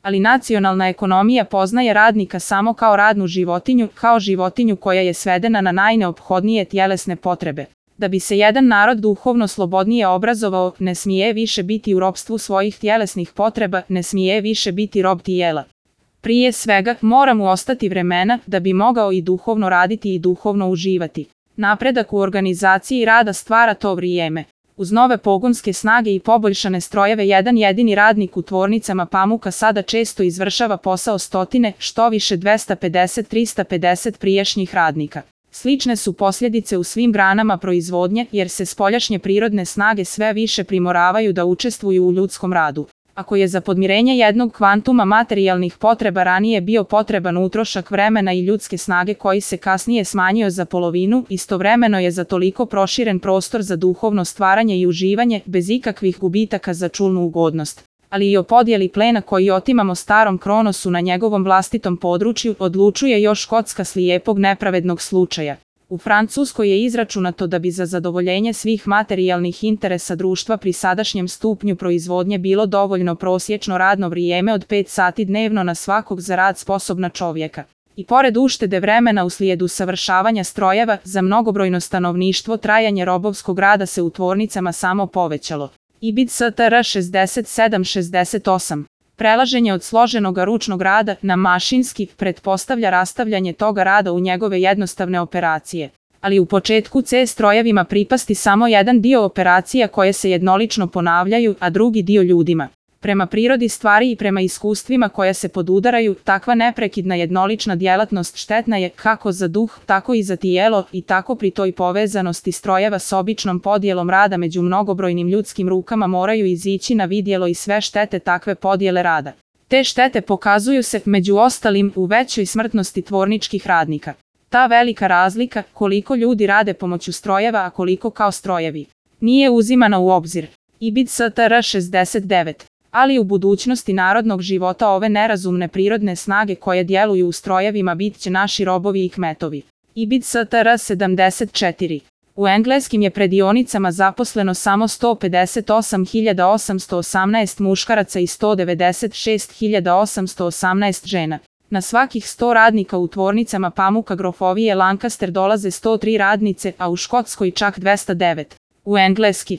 Ali nacionalna ekonomija poznaje radnika samo kao radnu životinju, kao životinju koja je svedena na najneophodnije tjelesne potrebe. Da bi se jedan narod duhovno slobodnije obrazovao, ne smije više biti u ropstvu svojih tjelesnih potreba, ne smije više biti rob tijela. Prije svega, mora mu ostati vremena da bi mogao i duhovno raditi i duhovno uživati. Napredak u organizaciji rada stvara to vrijeme. Uz nove pogonske snage i poboljšane strojeve jedan jedini radnik u tvornicama pamuka sada često izvršava posao stotine, što više 250-350 prijašnjih radnika. Slične su posljedice u svim granama proizvodnje, jer se spoljašnje prirodne snage sve više primoravaju da učestvuju u ljudskom radu. Ako je za podmirenje jednog kvantuma materijalnih potreba ranije bio potreban utrošak vremena i ljudske snage koji se kasnije smanjio za polovinu, istovremeno je za toliko proširen prostor za duhovno stvaranje i uživanje, bez ikakvih gubitaka za čulnu ugodnost. Ali i o podjeli plena koji otimamo starom Kronosu na njegovom vlastitom području odlučuje još kocka slijepog nepravednog slučaja. U Francuskoj je izračunato da bi za zadovoljenje svih materijalnih interesa društva pri sadašnjem stupnju proizvodnje bilo dovoljno prosječno radno vrijeme od 5 sati dnevno na svakog za rad sposobna čovjeka. I pored uštede vremena uslijed usavršavanja strojeva, za mnogobrojno stanovništvo trajanje robovskog rada se u tvornicama samo povećalo. IBID STR 6768. Prelaženje od složenoga ručnog rada na mašinski pretpostavlja rastavljanje toga rada u njegove jednostavne operacije. Ali u početku će strojevima pripasti samo jedan dio operacija koje se jednolično ponavljaju, a drugi dio ljudima. Prema prirodi stvari i prema iskustvima koja se podudaraju, takva neprekidna jednolična djelatnost štetna je kako za duh, tako i za tijelo, i tako pri toj povezanosti strojeva s običnom podjelom rada među mnogobrojnim ljudskim rukama moraju izići na vidjelo i sve štete takve podjele rada. Te štete pokazuju se, među ostalim, u većoj smrtnosti tvorničkih radnika. Ta velika razlika, koliko ljudi rade pomoću strojeva, a koliko kao strojevi, nije uzimana u obzir. IBID STR 69. Ali u budućnosti narodnog života ove nerazumne prirodne snage koje djeluju u strojevima bit će naši robovi i kmetovi. IBID STR 74. U engleskim je predionicama zaposleno samo 158.818 muškaraca i 196.818 žena. Na svakih 100 radnika u tvornicama pamuka grofovije Lancaster dolaze 103 radnice, a u Škotskoj čak 209. U engleski